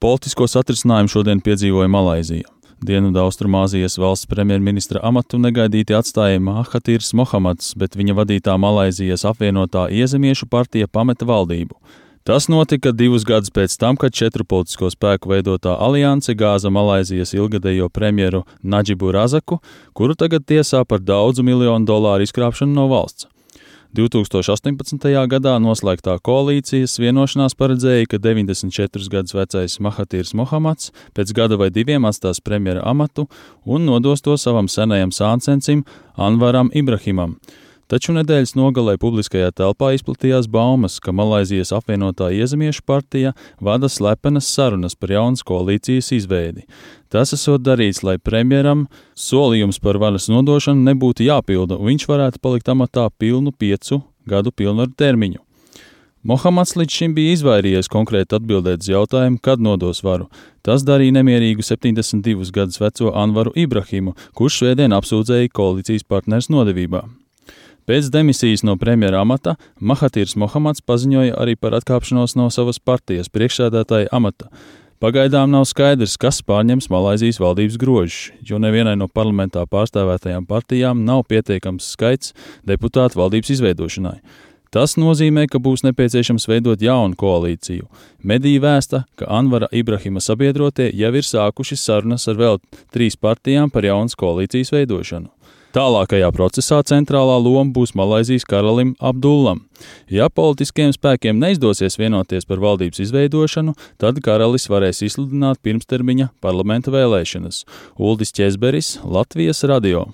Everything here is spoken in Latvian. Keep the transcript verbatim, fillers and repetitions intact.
Politisko satrisinājumu šodien piedzīvoja Malaizija. Dienvidaustrumāzijas valsts premjerministra amatu negaidīti atstāja Mahatīrs Mohamads, bet viņa vadītā Malaizijas apvienotā iezemiešu partija pameta valdību. Tas notika divus gadus pēc tam, kad četru politisko spēku veidotā alianse gāza Malaizijas ilgadējo premjeru Nadžibu Razaku, kuru tagad tiesā par daudzu miljonu dolāru izkrāpšanu no valsts. divtūkstoš astoņpadsmitajā gadā noslēgtā koalīcijas vienošanās paredzēja, ka deviņdesmit četrus gadus vecais Mahatīrs Mohamads pēc gada vai diviem atstās premjera amatu un nodos to savam senajam sāncencim Anvaram Ibrahimam. Taču nedēļas nogalē publiskajā telpā izplatījās baumas, ka Malaizijas apvienotā iezemiešu partija vada slepenas sarunas par jaunas koalīcijas izveidi. Tas esot darīts, lai premjeram solījums par varas nodošanu nebūtu jāpilda, un viņš varētu palikt amatā pilnu piecu gadu pilnvaru termiņu. Mohamads līdz šim bija izvairījies konkrēti atbildēt uz jautājumu, kad nodos varu. Tas darīja nemierīgu septiņdesmit divus gadus veco Anvaru Ibrahimu, kurš svētdien apsūdzēja koalīcijas partners nodevībā. Pēc demisijas no premjera amata Mahatīrs Mohamads paziņoja arī par atkāpšanos no savas partijas priekšsēdētāja amata. Pagaidām nav skaidrs, kas pārņems Malaizijas valdības grožus, jo nevienai no parlamentā pārstāvētajām partijām nav pietiekams skaits deputātu valdības izveidošanai. Tas nozīmē, ka būs nepieciešams veidot jaunu koalīciju. Mediji vēsta, ka Anvara Ibrahima sabiedrotie jau ir sākuši sarunas ar vēl trīs partijām par jaunas koalīcijas veidošanu. Tālākajā procesā centrālā loma būs Malaizijas karalim Abdullam. Ja politiskiem spēkiem neizdosies vienoties par valdības izveidošanu, tad karalis varēs izsludināt pirmstermiņa parlamenta vēlēšanas. Uldis Ķezberis, Latvijas radio.